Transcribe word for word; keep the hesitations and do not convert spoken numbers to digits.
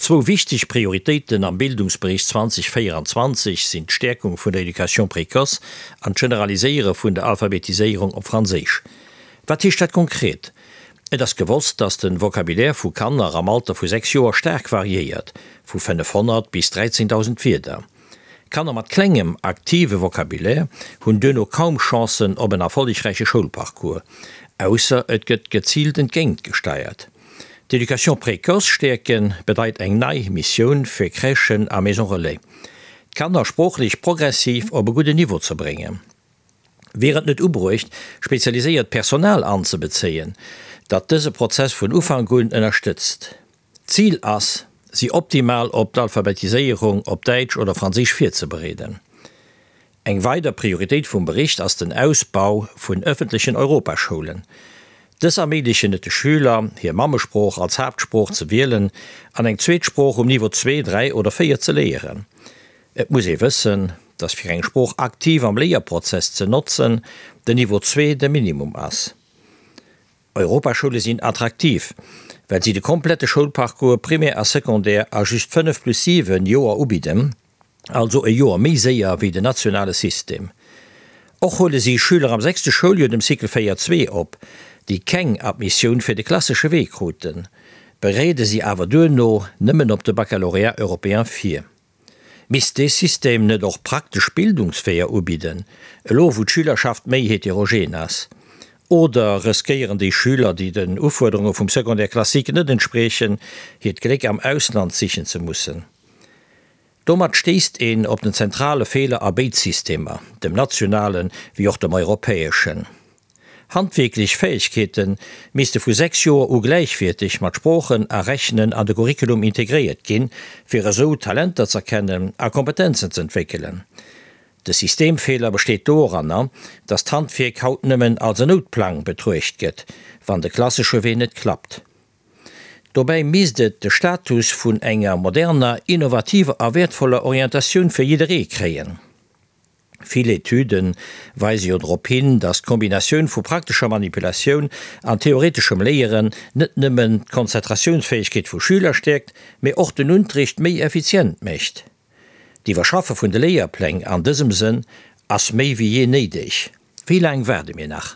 Zwou wichteg Prioritéiten am Bildungsbericht zweitausendvéieranzwanzeg sinn d'Stäerkung vun der Education précoce an d'Generaliséiere vun der Alphabetiséierung op Franséisch. Wat heescht dat konkret? Et ass gewosst, dass de Vocabulaire vu Kanner am Alter vu sechs Joer staark variéiert, vu fënnefhonnert bis dräizéntausend Wierder. Kanner mat klengem aktive Vocabulaire hunn duerno kaum Chancen op en erfollegräiche Schoulparcours, ausser et gëtt geziilt entgéint gesteiert. D'Education précoce stäerke bedeit eng nei Missioun fir Crèchen a Maisons relais, d'Kanner sproochlech progressiv op e gudden Niveau ze bréngen. Wier et net ubruecht, spezialiséiert Personal anzebezéien, dat dëse Prozess vun Ufank un ënnerstëtzt? D'Zil ass, si optimal op d'Alphabetiséierung op Däitsch oder Franséisch virzebereeden. Eng weider Prioritéit vum Bericht ass den Ausbau vun ëffentlechen Europaschoulen. Dës erméiglechen et de Schüler, hir Mammesprooch als Haaptsprooch ze wielen an eng zweet Sprooch um Niveau zwee, dräi oder véier ze léieren. Et muss ee wëssen, dass fir eng Sprooch aktiv am Léierprozess ze notzen, den Niveau zwee de Minimum ass. Europaschoule sinn attraktiv, well si de komplette Schoulparcours Primär a Secondaire a just fënnef plus siwen Joer ubidden, also e Joer méi séier wéi den nationale System. Och huele si Schüler am sechste Schouljoer dem Cycle véier zwee op, déi keng Admissioun fir de klassesche Wee kruten, bereede si awer duerno nëmmen op de Baccalauréat européen vir. Misst dee System net och praktesch Bildungsweeër ubidden, elo wou d'Schülerschaft méi heterogen ass? Oder riskéieren déi Schüler, déi den Ufuerderunge vum Secondaire classique net entspriechen, hiert Gléck am Ausland sichen ze mussen? Domat stéisst een op den zentrale Feeler a béid Systemer, dem nationalen wéi och dem europäeschen. Handwierklech Fäegkeete misste vu sechs Joer u gläichwierteg mat Sproochen a Rechnen an de Curriculum integréiert ginn, fir esou Talenter z'erkennen a Kompetenzen z'entwéckelen. De Systemfeeler besteet doranner, datt d'Handwierk haut nëmmen als en Noutplang betruecht gëtt, wann de klassesche Wee net klappt. Dobäi misst et de Status vun enger moderner, innovativer a wäertvoller Orientatioun fir jidderee kréien. Vill Etüde weise jo drop hin, datt d'Kombinatioun vu praktescher Manipulatioun an theoreteschem Léieren net nëmmen d'Konzentratiounsfäegkeet vu Schüler stäerkt, mee och den Unterricht méi effizient mécht. D'Iwwerschaffe vun de Léierpläng an dësem Sënn ass méi wéi jee néideg. Wéi laang waarde mir nach?